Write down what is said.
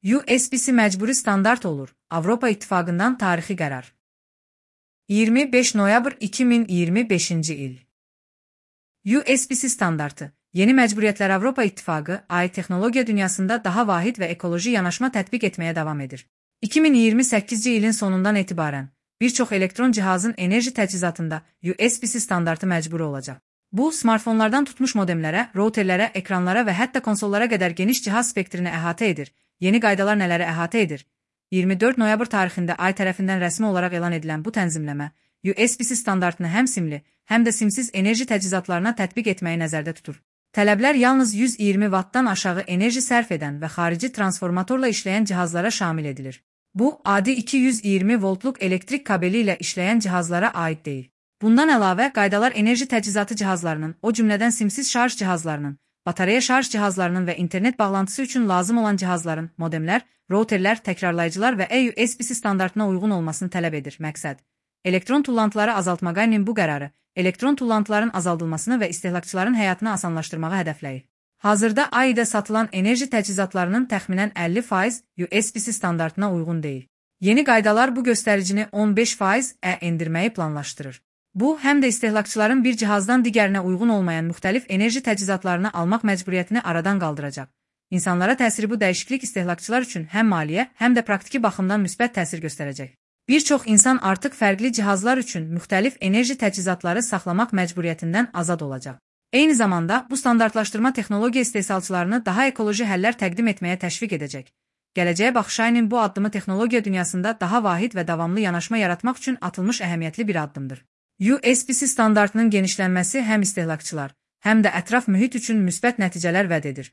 USB-C məcburi standart olur. Avropa İttifaqından tarixi qərar. 25 noyabr 2025-ci il. USB-C standartı. Yeni məcburiyyətlər Avropa İttifaqı, AI texnologiya dünyasında daha vahid və ekoloji yanaşma tətbiq etməyə davam edir. 2028-ci ilin sonundan etibarən, bir çox elektron cihazın enerji təchizatında USB-C standartı məcburi olacaq. Bu, smartfonlardan tutmuş modemlərə, routerlərə, ekranlara və hətta konsollara qədər geniş cihaz spektrini əhatə edir. Yeni qaydalar nələri əhatə edir? 24 noyabr tarixində AI tərəfindən rəsmi olaraq elan edilən bu tənzimləmə, USB-C standartını həm simli, həm də simsiz enerji təchizatlarına tətbiq etməyi nəzərdə tutur. Tələblər yalnız 120 wattdan aşağı enerji sərf edən və xarici transformatorla işləyən cihazlara şamil edilir. Bu, adi 220 voltluq elektrik kabeli ilə işləyən cihazlara aid deyil. Bundan əlavə, qaydalar enerji təchizatı cihazlarının, o cümlədən simsiz şarj cihazlarının, batareya şarj cihazlarının və internet bağlantısı üçün lazım olan cihazların, modemlər, routerlər, təkrarlayıcılar və USB-C standartına uyğun olmasını tələb edir. Məqsəd: elektron tullantıları azaltmağa bu qərarı, elektron tullantıların azaldılmasını və istehlakçıların həyatını asanlaşdırmağı hədəfləyir. Hazırda AI-də satılan enerji təchizatlarının təxminən 50% USB-C standartına uyğun deyil. Yeni qaydalar bu göstəricini 15%-ə endirməyi planlaşdırır. Bu, həm də istehlakçıların bir cihazdan digərinə uyğun olmayan müxtəlif enerji təchizatlarını almaq məcburiyyətini aradan qaldıracaq. İnsanlara təsiri bu dəyişiklik istehlakçılar üçün həm maliyyə, həm də praktiki baxımdan müsbət təsir göstərəcək. Bir çox insan artıq fərqli cihazlar üçün müxtəlif enerji təchizatları saxlamaq məcburiyyətindən azad olacaq. Eyni zamanda, bu standartlaşdırma texnologiya istehsalçılarını daha ekoloji həllər təqdim etməyə təşviq edəcək. Gələcəyə baxış AI'nin bu addımı texnologiya dünyasında daha vahid və davamlı yanaşma yaratmaq üçün atılmış əhəmiyyətli bir addımdır. USB-C standartının genişlənməsi həm istehlakçılar, həm də ətraf mühit üçün müsbət nəticələr vəd edir.